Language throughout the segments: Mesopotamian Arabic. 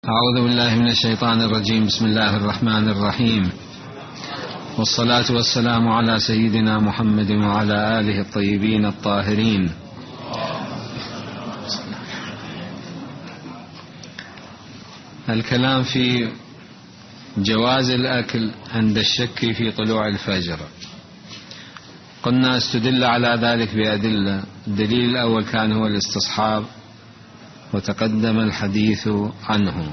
أعوذ بالله من الشيطان الرجيم. بسم الله الرحمن الرحيم، والصلاة والسلام على سيدنا محمد وعلى آله الطيبين الطاهرين. الكلام في جواز الأكل عند الشك في طلوع الفجر. قلنا استدل على ذلك بأدلة. الدليل الأول كان هو الاستصحاب، وتقدم الحديث عنه،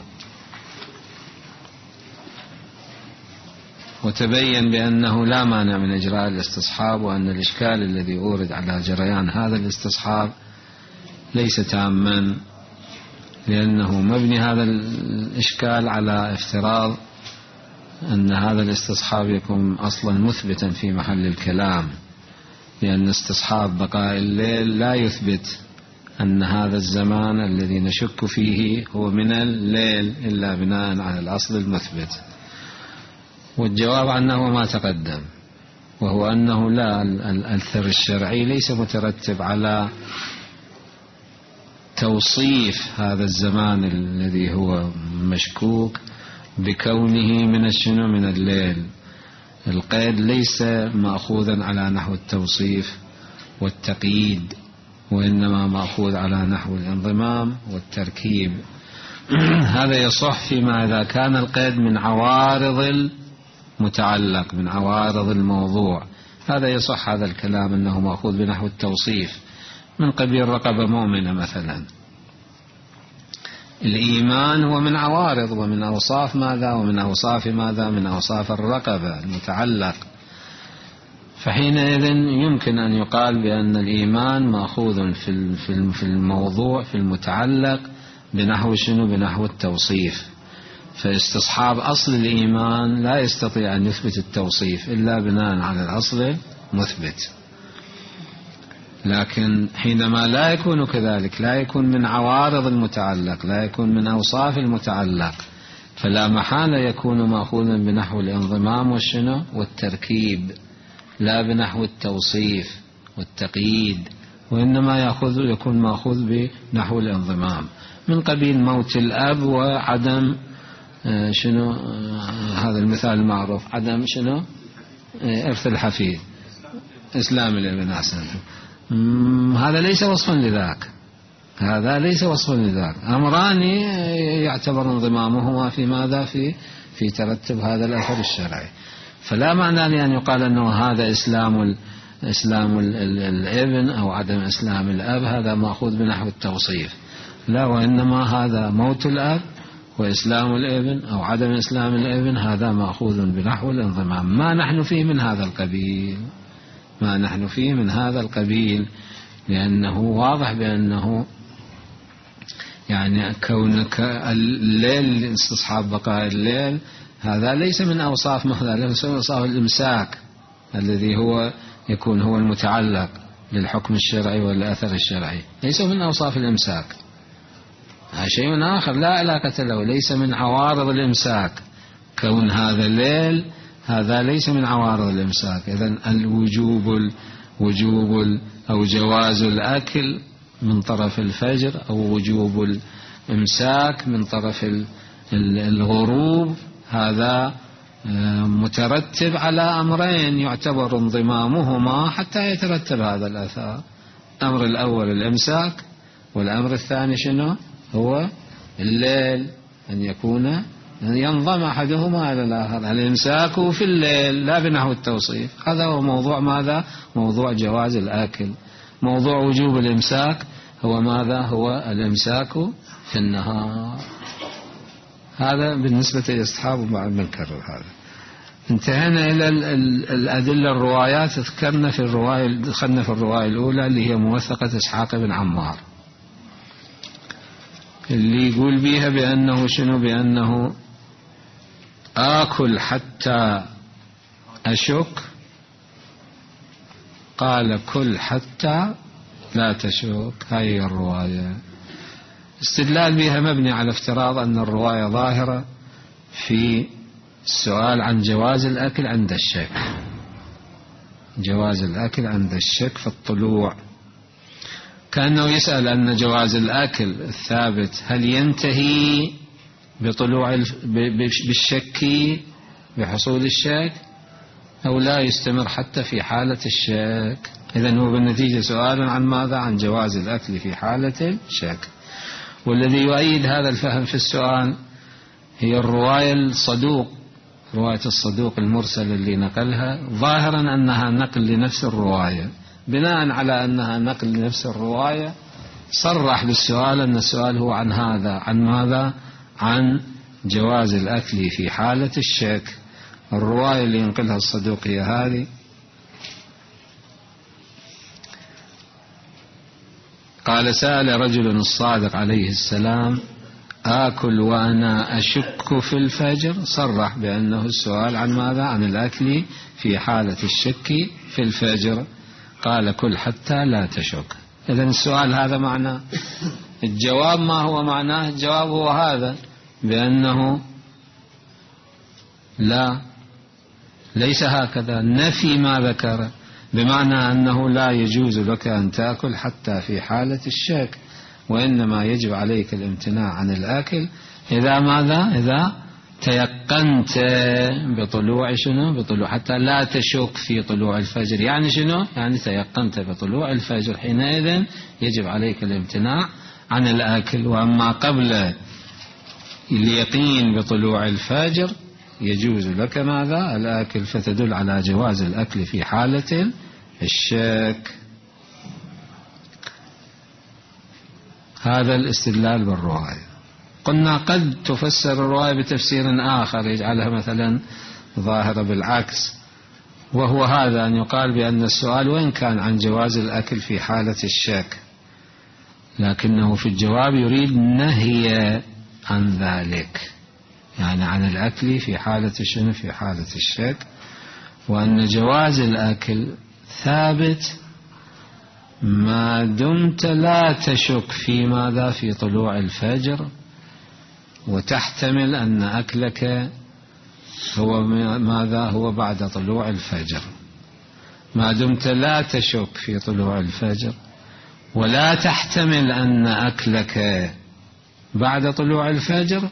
وتبين بأنه لا مانع من إجراء الاستصحاب، وأن الإشكال الذي أورد على جريان هذا الاستصحاب ليس تاما، لأنه مبني هذا الإشكال على افتراض أن هذا الاستصحاب يكون أصلا مثبتا في محل الكلام، لأن استصحاب بقاء الليل لا يثبت أن هذا الزمان الذي نشك فيه هو من الليل إلا بناء على الأصل المثبت. والجواب عنه ما تقدم، وهو أنه لا، الأثر الشرعي ليس مترتب على توصيف هذا الزمان الذي هو مشكوك بكونه من الليل. القيد ليس مأخوذا على نحو التوصيف والتقييد، وإنما مأخوذ على نحو الانضمام والتركيب. هذا يصح فيما إذا كان القيد من عوارض المتعلق، من عوارض الموضوع. هذا يصح هذا الكلام أنه مأخوذ بنحو التوصيف، من قبيل رقبة مؤمنة مثلا. الإيمان هو من عوارض ومن أوصاف ماذا؟ ومن أوصاف ماذا؟ من أوصاف الرقبة المتعلق. فحينئذ يمكن أن يقال بأن الإيمان مأخوذ في الموضوع، في المتعلق، بنحو شنو؟ بنحو التوصيف. فاستصحاب أصل الإيمان لا يستطيع أن يثبت التوصيف إلا بناء على الأصل المثبت. لكن حينما لا يكون كذلك، لا يكون من عوارض المتعلق، لا يكون من أوصاف المتعلق، فلا محالة يكون مأخوذا بنحو الانضمام والشنو؟ والتركيب، لا بنحو التوصيف والتقييد، وإنما يكون مأخوذ بنحو الانضمام، من قبيل موت الأب وعدم شنو؟ هذا المثال المعروف، عدم شنو؟ إرث الحفيد، إسلام الابن. أحسن. هذا ليس وصفا لذاك، هذا ليس وصفا لذاك. أمران يعتبر انضمامهما في ماذا؟ في ترتب هذا الأثر الشرعي. فلا معنى لأن يقال أنه هذا إسلام الابن أو عدم إسلام الأب هذا مأخوذ بنحو التوصيف، لا، وإنما هذا موت الأب وإسلام الابن أو عدم إسلام الابن هذا مأخوذ بنحو الانضمام. ما نحن فيه من هذا القبيل، ما نحن فيه من هذا القبيل، لأنه واضح بأنه يعني كونك الليل، استصحاب بقاء الليل، هذا ليس من أوصاف ماذا؟ ليس من أوصاف الإمساك الذي هو يكون هو المتعلق للحكم الشرعي والأثر الشرعي، ليس من أوصاف الإمساك. هذا شيء آخر لا علاقة له، ليس من عوارض الإمساك. كون هذا الليل هذا ليس من عوارض الإمساك. إذن وجوب أو جواز الأكل من طرف الفجر، أو وجوب الإمساك من طرف الغروب، هذا مترتب على أمرين يعتبر انضمامهما حتى يترتب هذا الأثر. الأمر الأول الإمساك، والأمر الثاني شنو؟ هو الليل، أن ينضم أحدهما إلى الآخر. الإمساك في الليل لا بنحو التوصيف. هذا هو موضوع ماذا؟ موضوع جواز الأكل. موضوع وجوب الإمساك هو ماذا؟ هو الإمساك في النهار. هذا بالنسبة للأصحاب، وبعد بنكرر هذا. انتهينا إلى الأدلة الروايات. دخلنا في الرواية الأولى اللي هي موثقة إسحاق بن عمار، اللي يقول بيها بأنه شنو؟ بأنه آكل حتى أشك، قال كل حتى لا تشك. هاي الرواية استدلال بها مبني على افتراض أن الرواية ظاهرة في السؤال عن جواز الأكل عند الشك، جواز الأكل عند الشك في الطلوع. كأنه يسأل أن جواز الأكل الثابت هل ينتهي بالشك بحصول الشك، أو لا يستمر حتى في حالة الشك. إذن هو بالنتيجة سؤال عن ماذا؟ عن جواز الأكل في حالة الشك. والذي يؤيد هذا الفهم في السؤال هي الرواية الصدوق المرسل اللي نقلها، ظاهرا أنها نقل لنفس الرواية. بناء على أنها نقل لنفس الرواية صرح بالسؤال أن السؤال هو عن هذا، عن ماذا؟ عن جواز الأكل في حالة الشك. الرواية اللي ينقلها الصدوق هي هذه: قال: سأل رجل الصادق عليه السلام: آكل وأنا أشك في الفجر؟ صرح بأنه السؤال عن ماذا؟ عن الأكل في حالة الشك في الفجر. قال: كل حتى لا تشك. إذن السؤال هذا معناه. الجواب ما هو معناه؟ الجواب هو هذا، بأنه لا، ليس هكذا، نفي ما ذكر، بمعنى أنه لا يجوز لك أن تأكل حتى في حالة الشك، وإنما يجب عليك الامتناع عن الأكل إذا ماذا؟ إذا تيقنت بطلوع شنو؟ بطلوع، حتى لا تشك في طلوع الفجر. يعني شنو؟ يعني تيقنت بطلوع الفجر، حينئذ يجب عليك الامتناع عن الأكل. وأما قبل اليقين بطلوع الفجر يجوز لك ماذا؟ الأكل. فتدل على جواز الأكل في حالة الشك. هذا الاستدلال بالرواية. قلنا قد تفسر الرواية بتفسير آخر يجعلها مثلا ظاهرة بالعكس، وهو هذا: أن يقال بأن السؤال وإن كان عن جواز الأكل في حالة الشك، لكنه في الجواب يريد نهي عن ذلك، يعني عن الأكل في حالة شنو؟ في حالة الشك. وأن جواز الأكل ثابت ما دمت لا تشك في ماذا؟ في طلوع الفجر، وتحتمل أن أكلك هو ماذا؟ هو بعد طلوع الفجر. ما دمت لا تشك في طلوع الفجر ولا تحتمل أن أكلك بعد طلوع الفجر،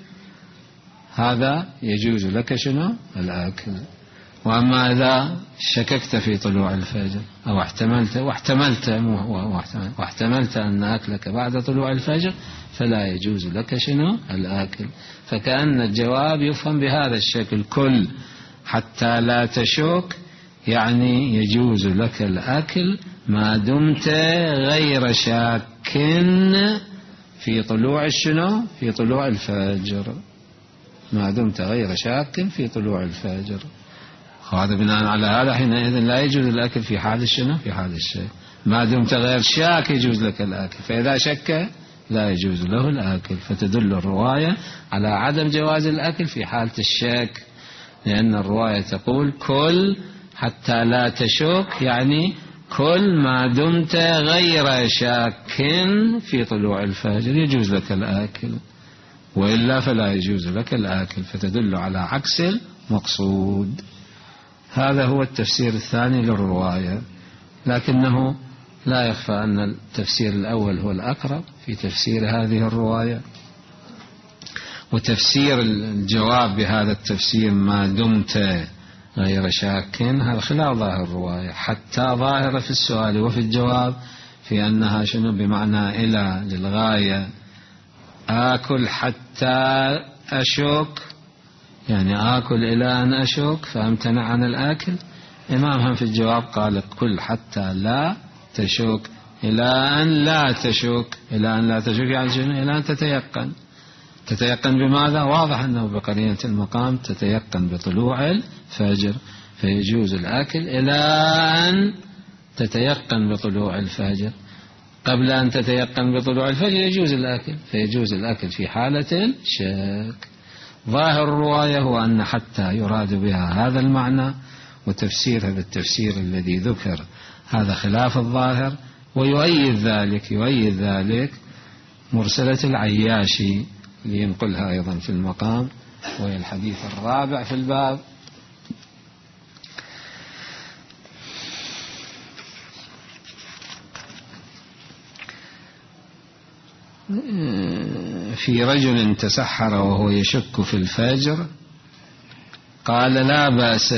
هذا يجوز لك شنو؟ الأكل. وأما إذا شككت في طلوع الفجر أو واحتملت أن أكلك بعد طلوع الفجر فلا يجوز لك شنو؟ الأكل. فكأن الجواب يفهم بهذا الشكل: كل حتى لا تشك، يعني يجوز لك الأكل ما دمت غير شاك في طلوع شنو؟ في طلوع الفجر. ما دمت غير شاك في طلوع الفجر. هذا بناء على هذا حينئذ لا يجوز الأكل في حال شنو؟ في حال الشك. ما دمت غير شاك يجوز لك الأكل، فإذا شك لا يجوز له الأكل. فتدل الرواية على عدم جواز الأكل في حالة الشك، لأن الرواية تقول: كل حتى لا تشك، يعني كل ما دمت غير شاك في طلوع الفجر يجوز لك الأكل، وإلا فلا يجوز لك الأكل. فتدل على عكس المقصود. هذا هو التفسير الثاني للرواية، لكنه لا يخفى أن التفسير الأول هو الأقرب في تفسير هذه الرواية. وتفسير الجواب بهذا التفسير ما دمت غير شاك هذا خلاف ظاهر الرواية، حتى ظاهرة في السؤال وفي الجواب في أنها شنو؟ بمعنى إلى للغاية. آكل حتى أشك، يعني آكل إلى أن أشك فأمتنع عن الآكل. إمامهم في الجواب قال: كل حتى لا تشك، إلى أن لا تشك. إلى أن لا تشك يعني شنو؟ إلى أن تتيقن. تتيقن بماذا؟ واضح أنه بقرينة المقام تتيقن بطلوع الفجر، فيجوز الأكل إلى أن تتيقن بطلوع الفجر. قبل أن تتيقن بطلوع الفجر يجوز الأكل، فيجوز الأكل في حالة الشك. ظاهر الرواية هو أن حتى يراد بها هذا المعنى، وتفسيرها بالتفسير الذي ذكر هذا خلاف الظاهر. ويؤيد ذلك مرسلة العياشي لينقلها أيضا في المقام، وهي الحديث الرابع في الباب. في رجل تسحر وهو يشك في الفجر قال لا بأس.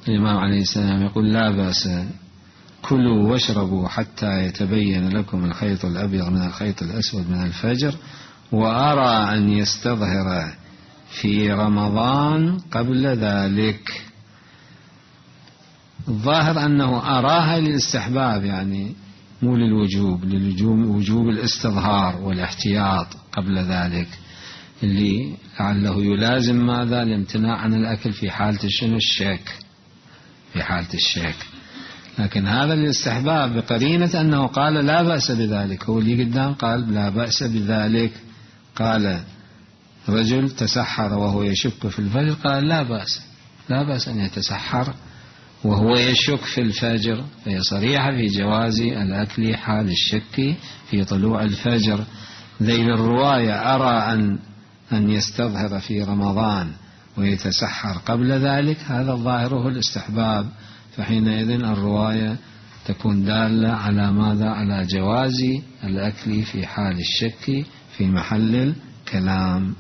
الإمام عليه السلام يقول لا بأس، كلوا واشربوا حتى يتبين لكم الخيط الأبيض من الخيط الأسود من الفجر، وأرى أن يستظهر في رمضان قبل ذلك. الظاهر أنه أراها للاستحباب، يعني مو للوجوب، لوجوب الاستظهار والاحتياط قبل ذلك، اللي لعله يلازم ماذا؟ الامتناع عن الأكل في حالة شنو؟ الشك، في حالة الشك. لكن هذا الاستحباب بقرينة أنه قال لا بأس بذلك، هو اللي قدام قال لا بأس بذلك. قال رجل تسحر وهو يشك في الفجر، قال لا بأس، لا بأس أن يتسحر وهو يشك في الفجر، فهي صريحة في جواز الأكل حال الشك في طلوع الفجر. ذيل الرواية أرى أن يستظهر في رمضان ويتسحر قبل ذلك، هذا ظاهره الاستحباب، فحينئذ الرواية تكون دالة على ماذا؟ على جواز الأكل في حال الشك في محل الكلام.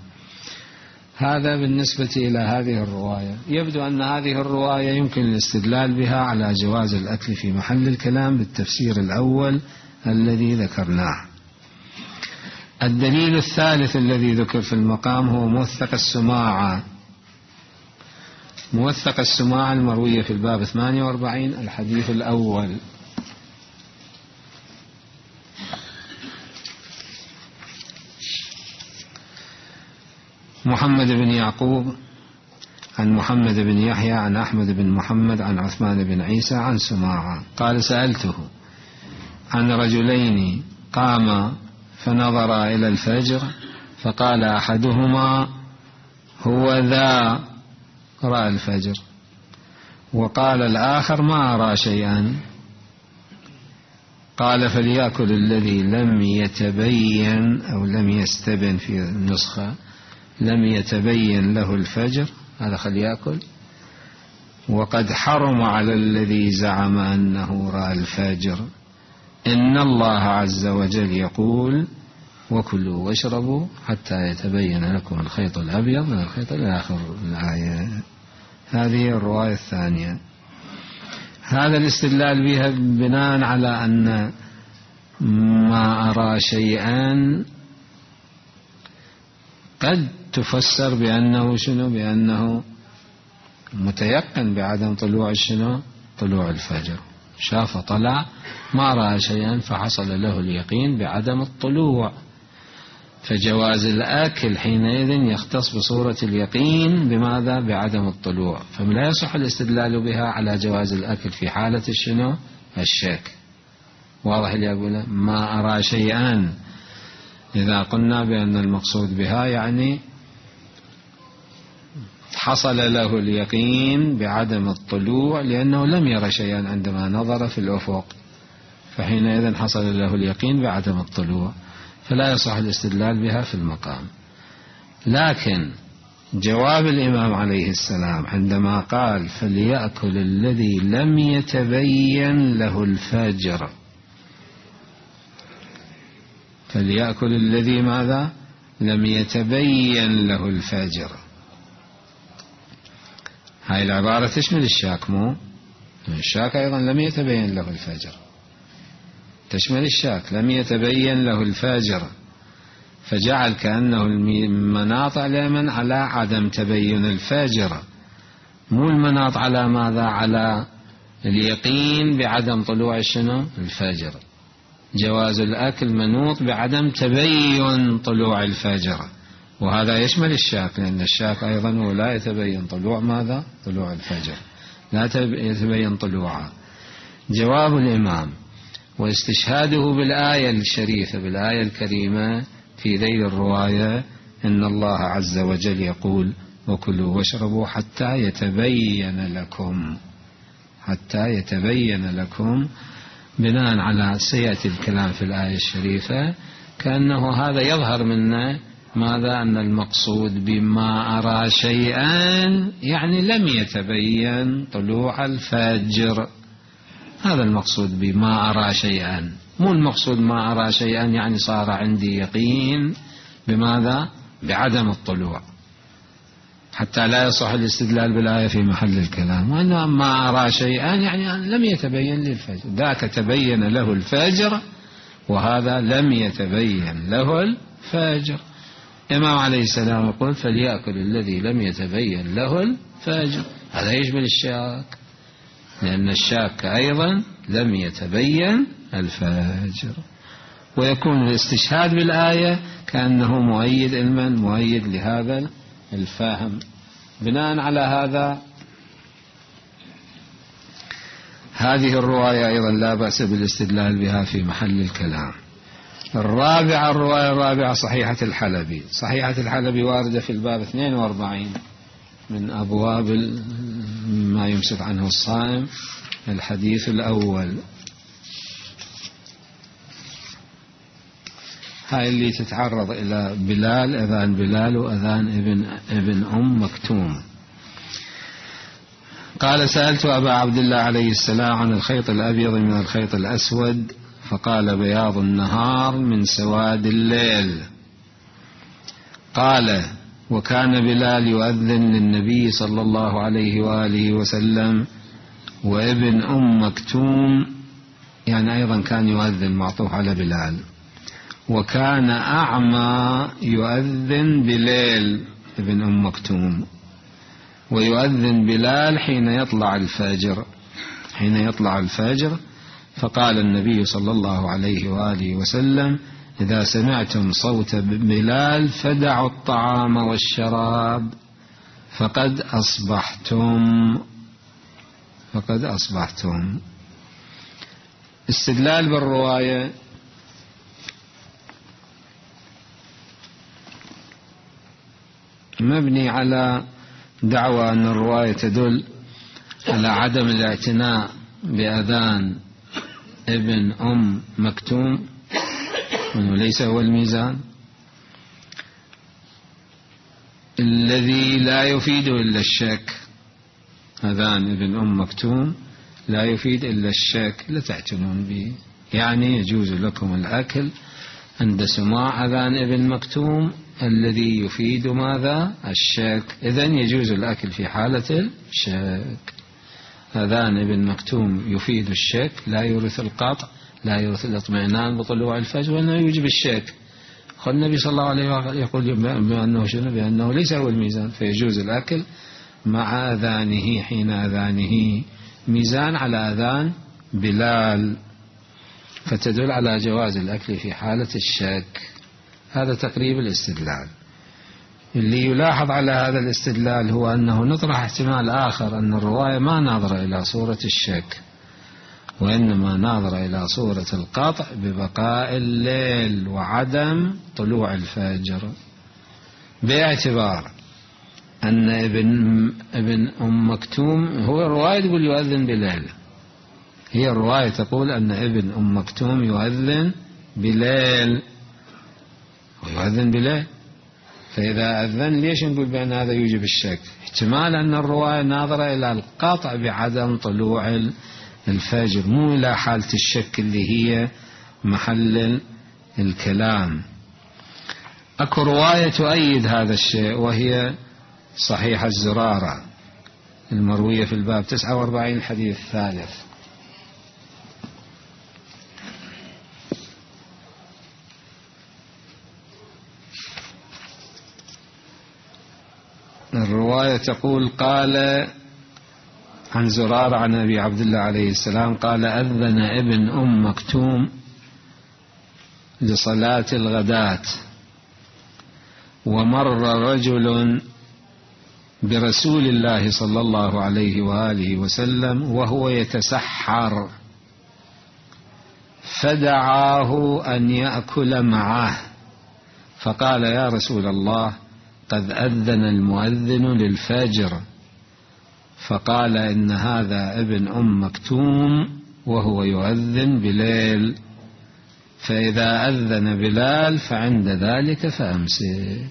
هذا بالنسبة إلى هذه الرواية. يبدو أن هذه الرواية يمكن الاستدلال بها على جواز الأكل في محل الكلام بالتفسير الأول الذي ذكرناه. الدليل الثالث الذي ذكر في المقام هو موثق السماعة. موثق السماعة المروية في الباب 48 الحديث الأول. محمد بن يعقوب عن محمد بن يحيى عن أحمد بن محمد عن عثمان بن عيسى عن سماعة قال سألته عن رجلين قاما فنظر إلى الفجر فقال أحدهما هو ذا رأى الفجر، وقال الآخر ما أرى شيئا. قال فليأكل الذي لم يتبين أو لم يستبن في النسخة لم يتبين له الفجر، هذا خليأكل، وقد حرم على الذي زعم أنه رأى الفجر. إن الله عز وجل يقول وكلوا واشربوا حتى يتبين لكم الخيط الأبيض من الخيط إلى آخر الآية. هذه الرواية الثانية. هذا الاستدلال بها بناء على أن ما أرى شيئا قد تفسر بأنه شنو؟ بأنه متيقن بعدم طلوع شنو؟ طلوع الفجر، شاف طلع ما رأى شيئا فحصل له اليقين بعدم الطلوع، فجواز الأكل حينئذ يختص بصورة اليقين بماذا؟ بعدم الطلوع، فلا يصح الاستدلال بها على جواز الأكل في حالة شنو؟ الشك. واضح اللي أقوله؟ ما أرى شيئا إذا قلنا بأن المقصود بها يعني حصل له اليقين بعدم الطلوع لأنه لم يرى شيئا عندما نظر في الأفق، فحينئذ حصل له اليقين بعدم الطلوع، فلا يصح الاستدلال بها في المقام. لكن جواب الإمام عليه السلام عندما قال فليأكل الذي لم يتبين له الفجر، فليأكل الذي ماذا؟ لم يتبين له الفجر، هاي العبارة تشمل الشاك، مو الشاك أيضا لم يتبين له الفجر، تشمل الشاك لم يتبين له الفجر، فجعل كأنه المناط على على عدم تبين الفجر، مو المناط على ماذا؟ على اليقين بعدم طلوع شنو؟ الفجر. جواز الأكل منوط بعدم تبين طلوع الفجر، وهذا يشمل الشاك، لأن الشاك أيضا هو لا يتبين طلوع ماذا؟ طلوع الفجر، لا يتبين طلوعه. جواب الإمام واستشهاده بالآية الشريفة، بالآية الكريمة في ذيل الرواية إن الله عز وجل يقول وكلوا واشربوا حتى يتبين لكم، حتى يتبين لكم، بناء على سيأتي الكلام في الآية الشريفة، كأنه هذا يظهر منا ماذا؟ أن المقصود بما أرى شيئا يعني لم يتبين طلوع الفجر، هذا المقصود بما أرى شيئا، مو المقصود ما أرى شيئا يعني صار عندي يقين بماذا؟ بعدم الطلوع، حتى لا يصح الاستدلال بالآية في محل الكلام. وأنه ما أرى شيئا يعني لم يتبين للفجر، ذاك تبين له الفجر وهذا لم يتبين له الفجر. الإمام عليه السلام يقول فليأكل الذي لم يتبين له الفجر، هذا يشمل الشاك، لأن الشاك أيضا لم يتبين الفجر. ويكون الاستشهاد بالآية كأنه مؤيد علما، مؤيد لهذا الفهم. بناء على هذا هذه الرواية أيضا لا بأس بالاستدلال بها في محل الكلام. الرواية الرابعة صحيحة الحلبي. صحيحة الحلبي واردة في الباب 42 من أبواب ما يمسك عنه الصائم. الحديث الأول، هاي اللي تتعرض إلى بلال، أذان بلال وأذان ابن أم مكتوم. قال سألت أبا عبد الله عليه السلام عن الخيط الأبيض من الخيط الأسود، فقال بياض النهار من سواد الليل. قال وكان بلال يؤذن للنبي صلى الله عليه وآله وسلم وابن أم مكتوم، يعني أيضا كان يؤذن معطوف على بلال. وكان أعمى يؤذن بليل ابن أم مكتوم، ويؤذن بلال حين يطلع الفجر، حين يطلع الفجر. فقال النبي صلى الله عليه وآله وسلم إذا سمعتم صوت بلال فدعوا الطعام والشراب فقد أصبحتم. استدلال بالرواية. مبني على دعوى أن الرواية تدل على عدم الاعتناء بأذان ابن أم مكتوم، وأنه ليس هو الميزان الذي لا يفيد إلا الشك. أذان ابن أم مكتوم لا يفيد إلا الشك، لا تعتنون به. يعني يجوز لكم الأكل عند سماع أذان ابن مكتوم الذي يفيد ماذا؟ الشك. إذن يجوز الأكل في حالة الشك. أذان ابن مكتوم يفيد الشك، لا يورث القطع، لا يورث الاطمئنان بطلوع الفجر، وأنه يوجب الشك. النبي صلى الله عليه وسلم يقول بأنه شنو؟ بأنه ليس هو الميزان، فيجوز الأكل مع أذانه حين أذانه ميزان على أذان بلال، فتدل على جواز الأكل في حالة الشك. هذا تقريب الاستدلال. اللي يلاحظ على هذا الاستدلال هو أنه نطرح احتمال آخر، أن الرواية ما ناظرة إلى صورة الشك، وإنما ناظرة إلى صورة القطع ببقاء الليل وعدم طلوع الفجر، باعتبار أن ابن أم مكتوم هو الرواية تقول يؤذن بليل، هي الرواية تقول أن ابن أم مكتوم يؤذن بليل ويؤذن بليل. فإذا أذن ليش نقول بأن هذا يوجب الشك؟ احتمال أن الرواية ناظرة إلى القطع بعدم طلوع الفجر، مو إلى حالة الشك اللي هي محل الكلام. أكو رواية تؤيد هذا الشيء، وهي صحيح الزرارة المروية في الباب 49 الحديث الثالث. الرواية تقول قال عن زرارة عن أبي عبد الله عليه السلام قال أذن ابن أم مكتوم لصلاة الغداة، ومر رجل برسول الله صلى الله عليه وآله وسلم وهو يتسحر، فدعاه أن يأكل معه، فقال يا رسول الله قد أذن المؤذن للفجر. فقال إن هذا ابن أم مكتوم وهو يؤذن بليل، فإذا أذن بلال فعند ذلك فأمسك.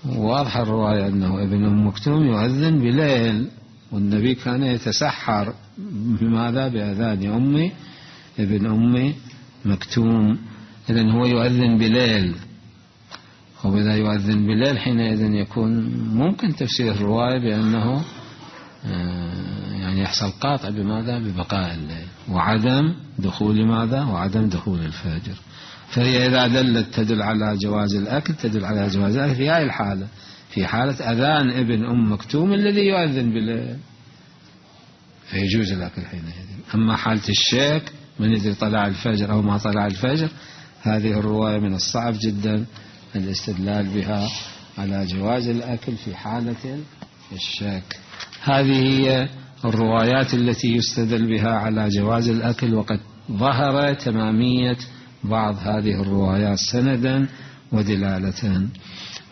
واضح الرواية أنه ابن أم مكتوم يؤذن بليل، والنبي كان يتسحر بماذا؟ بأذان ابن أم مكتوم. إذن هو يؤذن بليل، وإذا يؤذن بالليل حينئذ يكون ممكن تفسير الرواية بأنه يعني يحصل قاطع بماذا؟ ببقاء الليل وعدم دخول ماذا؟ وعدم دخول الفجر. فهي إذا دلت تدل على جواز الأكل، تدل على جواز الأكل في هذه الحالة، في حالة أذان ابن أم مكتوم الذي يؤذن بالليل فيجوز الأكل حينئذ. أما حالة الشك من يدري طلع الفجر أو ما طلع الفجر، هذه الرواية من الصعب جدا الاستدلال بها على جواز الأكل في حالة الشك. هذه هي الروايات التي يستدل بها على جواز الأكل، وقد ظهر تمامية بعض هذه الروايات سندا ودلالة.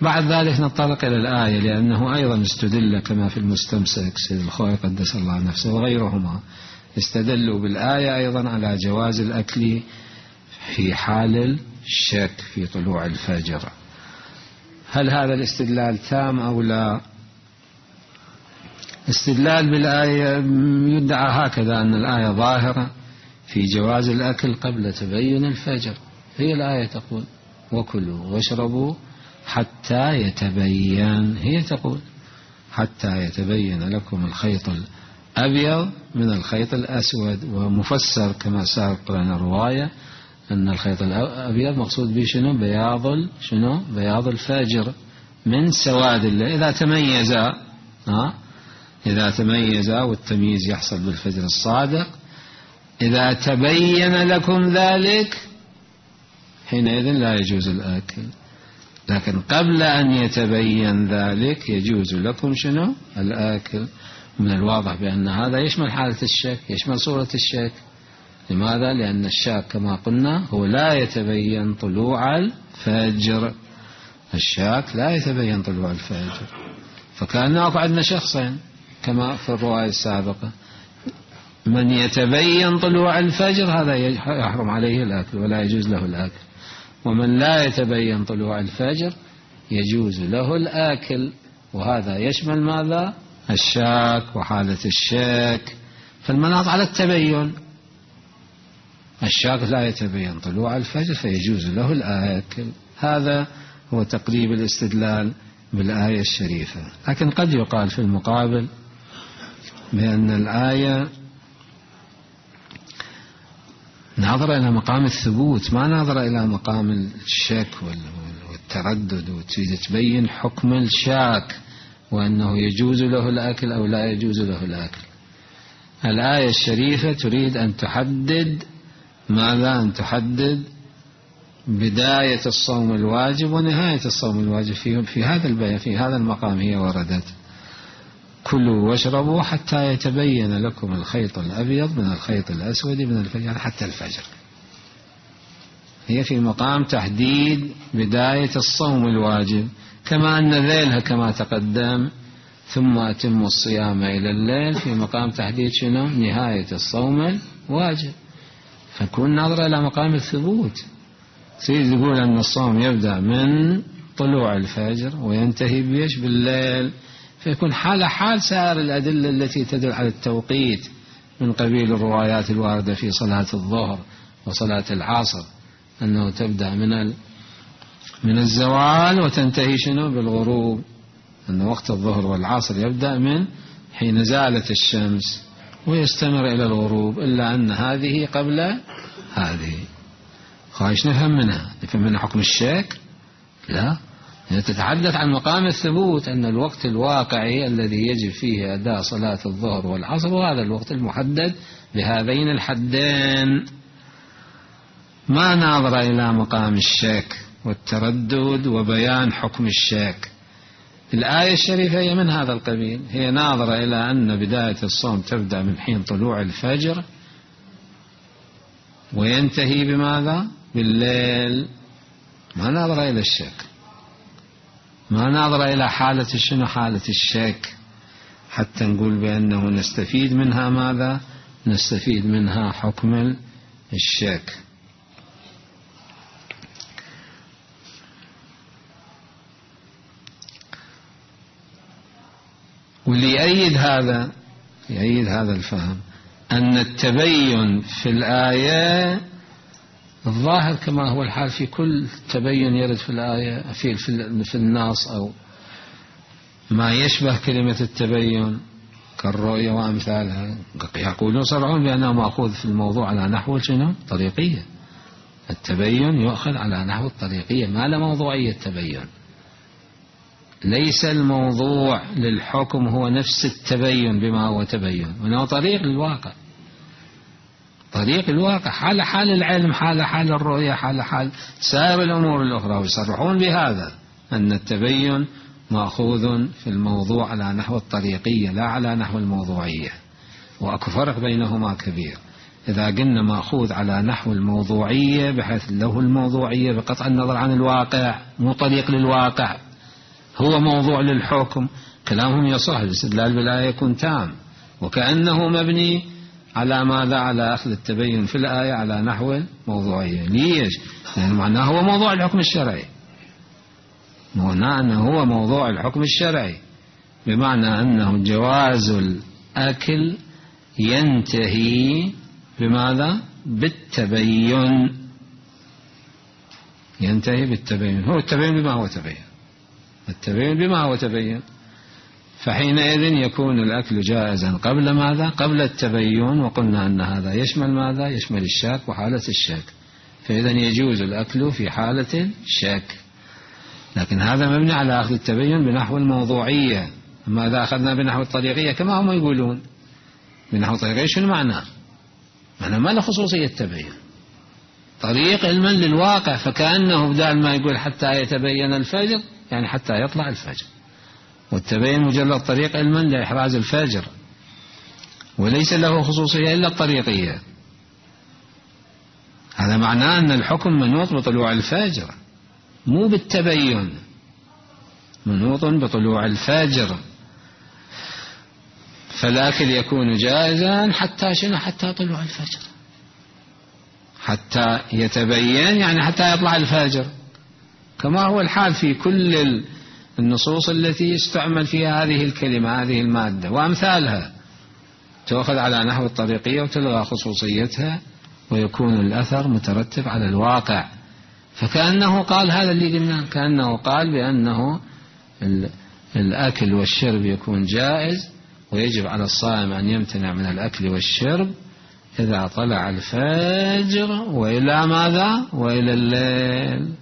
بعد ذلك ننطلق إلى الآية، لأنه أيضا استدل كما في المستمسك سيد الخوي قدس الله نفسه وغيرهما استدلوا بالآية أيضا على جواز الأكل في حال الشك في طلوع الفجر. هل هذا الاستدلال تام أو لا؟ استدلال بالآية يدعى هكذا أن الآية ظاهرة في جواز الأكل قبل تبين الفجر. هي الآية تقول وكلوا واشربوا حتى يتبين، هي تقول حتى يتبين لكم الخيط الأبيض من الخيط الأسود، ومفسر كما سبق لنا الرواية أن الخيط الأبيض مقصود به شنو؟ بياض الفجر من سواد الليل إذا تميزا والتمييز يحصل بالفجر الصادق. إذا تبين لكم ذلك حينئذ لا يجوز الأكل، لكن قبل أن يتبين ذلك يجوز لكم شنو؟ الأكل. من الواضح بأن هذا يشمل حالة الشك، يشمل صورة الشك. لماذا؟ لأن الشاك كما قلنا هو لا يتبين طلوع الفجر، الشاك لا يتبين طلوع الفجر. فكان عندنا شخصين كما في الرواية السابقة، من يتبين طلوع الفجر هذا يحرم عليه الأكل ولا يجوز له الأكل، ومن لا يتبين طلوع الفجر يجوز له الأكل، وهذا يشمل ماذا؟ الشاك وحالة الشك. فالمناط على التبين، الشاك لا يتبين طلوع الفجر فيجوز له الأكل. هذا هو تقريب الاستدلال بالآية الشريفة. لكن قد يقال في المقابل بأن الآية ناظرة إلى مقام الثبوت، ما ناظرة إلى مقام الشك والتردد، وتريد تبين حكم الشاك وأنه يجوز له الأكل أو لا يجوز له الأكل. الآية الشريفة تريد أن تحدد ماذا؟ أن تحدد بداية الصوم الواجب ونهاية الصوم الواجب في هذا البيان، في هذا المقام هي وردت كلوا واشربوا حتى يتبين لكم الخيط الأبيض من الخيط الأسود من الفجر، حتى الفجر. هي في مقام تحديد بداية الصوم الواجب، كما أن ذيلها كما تقدم ثم أتموا الصيام إلى الليل في مقام تحديد شنو؟ نهاية الصوم الواجب. فكون ناظرة إلى مقام الثبوت، سيد يقول أن الصوم يبدأ من طلوع الفجر وينتهي بيش؟ بالليل. فيكون حال سائر الأدلة التي تدل على التوقيت من قبيل الروايات الواردة في صلاة الظهر وصلاة العصر أنه تبدأ من الزوال وتنتهي شنو؟ بالغروب. أن وقت الظهر والعصر يبدأ من حين زالت الشمس ويستمر إلى الغروب، إلا أن هذه قبل هذه. خايش نفهم منها حكم الشك؟ لا، تتحدث عن مقام الثبوت، أن الوقت الواقعي الذي يجب فيه أداء صلاة الظهر والعصر وهذا الوقت المحدد بهذين الحدين. ما ناظر إلى مقام الشك والتردد وبيان حكم الشك. الآية الشريفة هي من هذا القبيل، هي ناظرة إلى أن بداية الصوم تبدأ من حين طلوع الفجر وينتهي بماذا؟ بالليل. ما ناظرة إلى الشك، ما ناظرة إلى حالة شنو؟ حالة الشك، حتى نقول بأنه نستفيد منها ماذا؟ نستفيد منها حكم الشك. واللي يأيد هذا الفهم أن التبين في الآية الظاهر كما هو الحال في كل تبين يرد في الآية في النص أو ما يشبه كلمة التبين كالرؤية وأمثالها، يقولون صرعون بأنه مأخوذ في الموضوع على نحو شنو؟ طريقية. التبين يؤخذ على نحو الطريقية، ما له موضوعية التبين. ليس الموضوع للحكم هو نفس التبين بما هو تبين، وإنه طريق للواقع، طريق الواقع، حال حال العلم، حال حال الرؤية، حال حال سائر الأمور الأخرى. ويصرحون بهذا أن التبين مأخوذ في الموضوع على نحو الطريقية لا على نحو الموضوعية، وأكو فرق بينهما كبير. إذا قلنا مأخوذ على نحو الموضوعية بحيث له الموضوعية بقطع النظر عن الواقع، مو طريق للواقع، هو موضوع للحكم، كلامهم يصح، الاستدلال بالآية يكون تام، وكأنه مبني على ماذا؟ على أخذ التبين في الآية على نحو الموضوعية. ليش؟ لأن معناه هو موضوع الحكم الشرعي، معناه أنه هو موضوع الحكم الشرعي، بمعنى أنه جواز الأكل ينتهي بماذا؟ بالتبين، ينتهي بالتبين. هو التبين بما هو تبين، التبين بما هو تبين، فحينئذ يكون الأكل جائزا قبل ماذا؟ قبل التبين. وقلنا أن هذا يشمل ماذا؟ يشمل الشك وحالة الشك، فإذا يجوز الأكل في حالة الشك. لكن هذا مبني على أخذ التبين بنحو الموضوعية. ماذا أخذنا بنحو الطريقية كما هم يقولون؟ بنحو الطريقية شنو معناه؟ معناه ما له خصوصية التبين، طريق علما للواقع، فكأنه بدال ما يقول حتى يتبين الفجر يعني حتى يطلع الفجر، والتبين مجرد طريق علما لإحراز الفجر، وليس له خصوصية إلا الطريقية. هذا معناه أن الحكم منوط بطلوع الفجر مو بالتبين، منوط بطلوع الفجر. فالأكل يكون جائزا حتى شنو؟ حتى طلوع الفجر، حتى يتبين يعني حتى يطلع الفجر، كما هو الحال في كل النصوص التي يستعمل فيها هذه الكلمة، هذه المادة وأمثالها، تأخذ على نحو الطريقية وتلغى خصوصيتها، ويكون الأثر مترتب على الواقع. فكأنه قال هذا اللي قلنا، كأنه قال بأنه الأكل والشرب يكون جائز، ويجب على الصائم أن يمتنع من الأكل والشرب إذا طلع الفجر وإلى ماذا؟ وإلى الليل.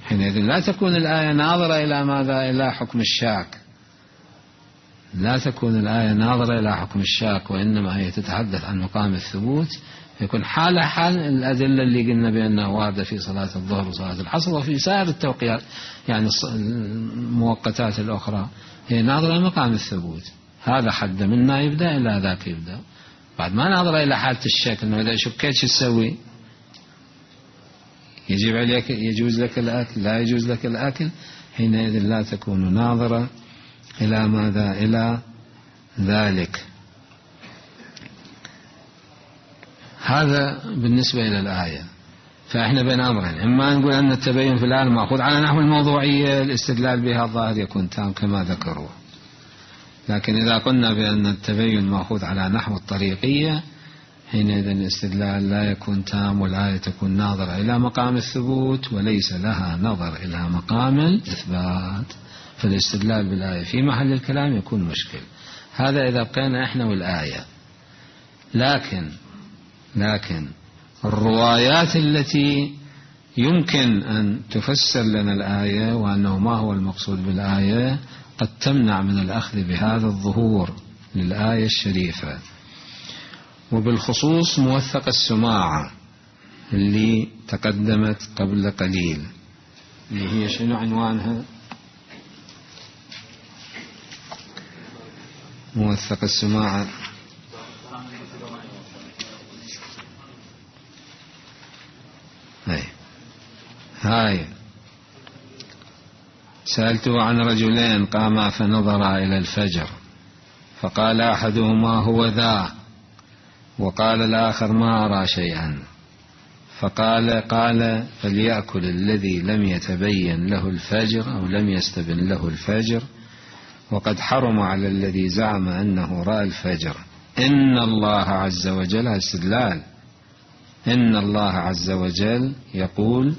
حينئذ لا تكون الآية ناظرة إلى ماذا؟ إلى حكم الشاك، لا تكون الآية ناظرة إلى حكم الشاك، وإنما هي تتحدث عن مقام الثبوت، يكون حال حال الأدلة اللي قلنا بأنها واردة في صلاة الظهر وصلاة العصر وفي سائر التوقيات، يعني الموقتات الأخرى، هي ناظرة مقام الثبوت. هذا حد منا يبدأ إلى ذاك يبدأ، بعد ما ناظرة إلى حالة الشك، إنه إذا شكيت شو تسوي؟ يجب عليك، يجوز لك الأكل، لا يجوز لك الأكل، حينئذ لا تكون ناظرة إلى ماذا؟ إلى ذلك. هذا بالنسبة إلى الآية. فإحنا بين أمرين، إما نقول أن التبين في الآية مأخوذ على نحو الموضوعية، الاستدلال بها الظاهر يكون تام كما ذكروا. لكن إذا قلنا بأن التبين مأخوذ على نحو الطريقية، حينئذ الاستدلال لا يكون تام، والآية تكون ناظرة إلى مقام الثبوت وليس لها نظر إلى مقام الإثبات، فالاستدلال بالآية في محل الكلام يكون مشكل. هذا إذا بقينا إحنا والآية. لكن الروايات التي يمكن أن تفسر لنا الآية وأنه ما هو المقصود بالآية قد تمنع من الأخذ بهذا الظهور للآية الشريفة، وبالخصوص موثق السماعة اللي تقدمت قبل قليل، اللي هي شنو عنوانها؟ موثق السماعة هاي. سألته عن رجلين قاما فنظرا إلى الفجر، فقال أحدهما هو ذا، وقال الآخر ما أرى شيئا، فقال فليأكل الذي لم يتبين له الفجر أو لم يستبن له الفجر، وقد حرم على الذي زعم أنه رأى الفجر. إن الله عز وجل، استدلال، إن الله عز وجل يقول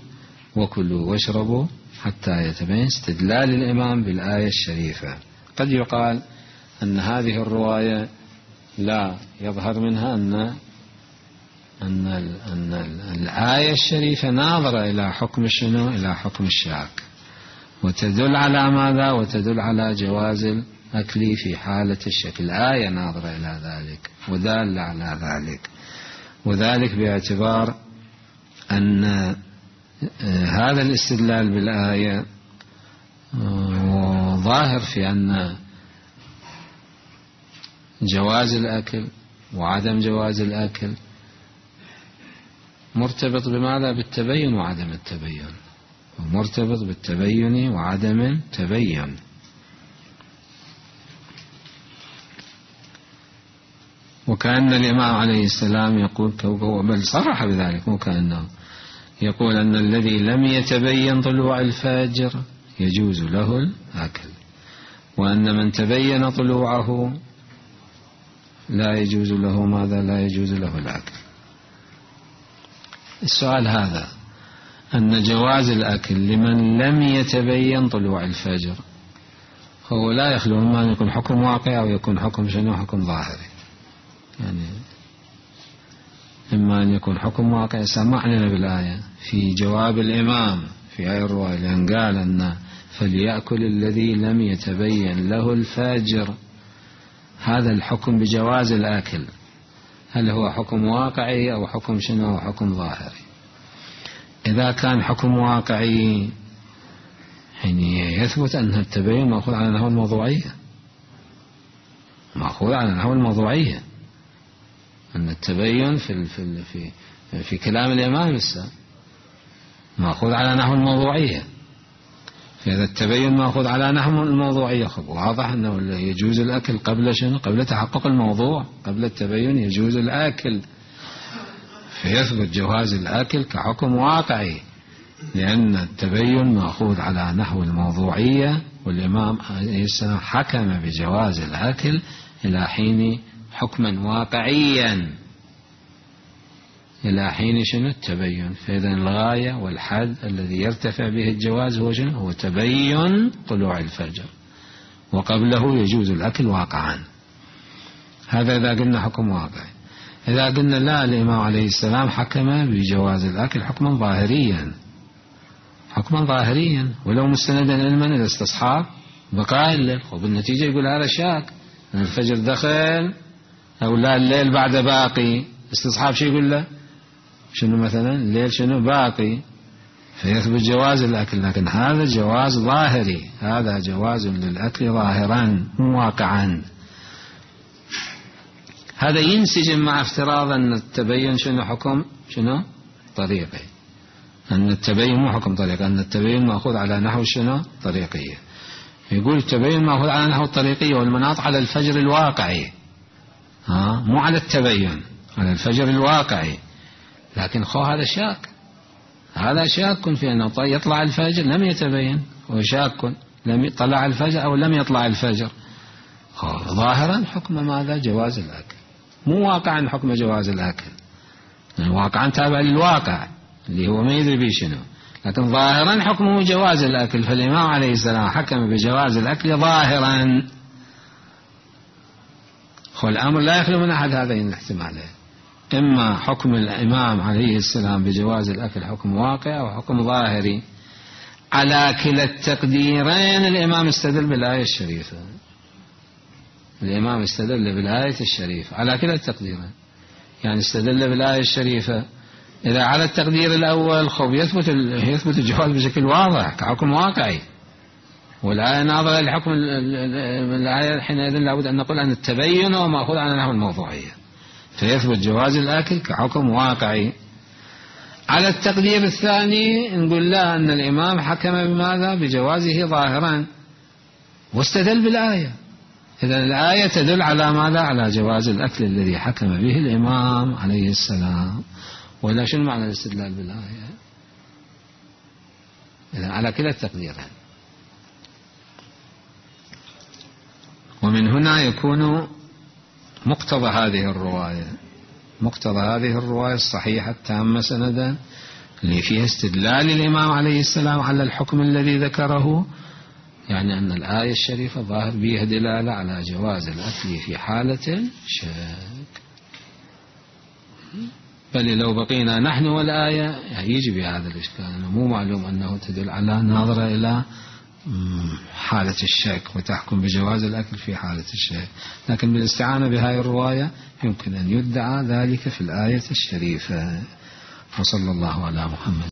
وكلوا واشربوا حتى يتبين، استدلال الإمام بالآية الشريفة. قد يقال أن هذه الرواية لا يظهر منها أن الآية الشريفة ناظرة إلى حكم شنو؟ إلى حكم الشاك، وتدل على ماذا؟ وتدل على جواز الأكل في حالة الشك. الآية ناظرة إلى ذلك ودالة على ذلك، وذلك باعتبار أن هذا الاستدلال بالآية ظاهر في أن جواز الأكل وعدم جواز الأكل مرتبط بماذا؟ بالتبين وعدم التبين، مرتبط بالتبين وعدم التبين. وكأن الإمام عليه السلام يقول، بل صرح بذلك، مو كأنه يقول أن الذي لم يتبين طلوع الفجر يجوز له الأكل، وأن من تبين طلوعه لا يجوز له ماذا؟ لا يجوز له الأكل. السؤال هذا، أن جواز الأكل لمن لم يتبين طلوع الفجر هو لا يخلو إما أن يكون حكم واقع أو يكون حكم شنو؟ حكم ظاهري. يعني إما أن يكون حكم واقع سمعنا بالآية في جواب الإمام في آية الرواية، لأن قال أن فليأكل الذي لم يتبين له الفجر، هذا الحكم بجواز الأكل هل هو حكم واقعي أو حكم شنو؟ حكم ظاهري. إذا كان حكم واقعي يعني يثبت أن التبين مأخوذ على نحو الموضوعية، مأخوذ على نحو الموضوعية، أن التبين في كلام الإمام السابق مأخوذ على نحو الموضوعية. فإذا التبين مأخوذ على نحو الموضوعية واضح أنه يجوز الأكل قبل شنو؟ قبل تحقق الموضوع، قبل التبين يجوز الأكل، فيثبت جواز الأكل كحكم واقعي، لأن التبين مأخوذ على نحو الموضوعية، والإمام عليه السلام حكم بجواز الأكل إلى حين حكما واقعيا، إلى حين شنو؟ التبين. فإذا الغاية والحد الذي يرتفع به الجواز هو شنو؟ هو تبين طلوع الفجر، وقبله يجوز الأكل واقعا. هذا إذا قلنا حكم واقعي. إذا قلنا لا، الإمام عليه السلام حكم بجواز الأكل حكما ظاهريا، حكما ظاهريا، ولو مستندا علما إذا استصحاب بقاء الليل، وبالنتيجة يقول هذا شاك أن الفجر دخل أو لا الليل بعد باقي، استصحاب شو يقول له؟ شنو مثلا الليل شنو باقي، فيثبت جواز الأكل. لكن هذا جواز ظاهري، هذا جواز للأكل ظاهرا مو واقعا. هذا ينسجم مع افتراض أن التبين شنو؟ حكم شنو؟ طريقي. أن التبين مو حكم طريقي، أن التبين مأخوذ على نحو شنو؟ طريقية. يقول التبين مأخوذ على نحو الطريقية والمناط على الفجر الواقعي، مو على التبين، على الفجر الواقعي. لكن هذا شاك، هذا شاك في أنه يطلع الفجر لم يتبين، وشاك لم يطلع الفجر أو لم يطلع الفجر. ظاهرا حكم ماذا؟ جواز الأكل، مو واقعا حكم جواز الأكل، يعني واقعا تابع للواقع اللي هو ما يدري به شنو، لكن ظاهرا حكمه جواز الأكل. فالإمام عليه السلام حكم بجواز الأكل ظاهرا. والأمر لا يخلو من أحد هذين الاحتمالين، إما حكم الإمام عليه السلام بجواز الأكل حكم واقع أو حكم ظاهري. على كلا التقديرين الإمام استدل بالآية الشريفة، الإمام استدل بالآية الشريفة على كلا التقديرين. يعني استدل بالآية الشريفة إذا على التقدير الأول يثبت الجواز بشكل واضح كحكم واقعي، والآية ناظرة لحكم الآية، حينئذ لابد أن نقول أن التبين هو مأخوذ على نحو الموضوعية، فيثبت جواز الأكل كحكم واقعي. على التقدير الثاني نقول لا، أن الإمام حكم بماذا؟ بجوازه ظاهرا واستدل بالآية. إذن الآية تدل على ماذا؟ على جواز الأكل الذي حكم به الإمام عليه السلام. ولا شنو معنى الاستدلال بالآية؟ إذن على كلا التقديرين. ومن هنا يكون مقتضى هذه الرواية مقتضى هذه الرواية الصحيحة التامة سندا اللي فيها استدلال الإمام عليه السلام على الحكم الذي ذكره، يعني أن الآية الشريفة ظاهر بها دلالة على جواز الأكل في حالة الشك. بل لو بقينا نحن والآية يجي بهذا الإشكال، أنه مو معلوم أنه تدل على ناظرة إلى حالة الشك وتحكم بجواز الأكل في حالة الشك، لكن بالاستعانة بهذه الرواية يمكن أن يدعى ذلك في الآية الشريفة. وصلى الله على محمد.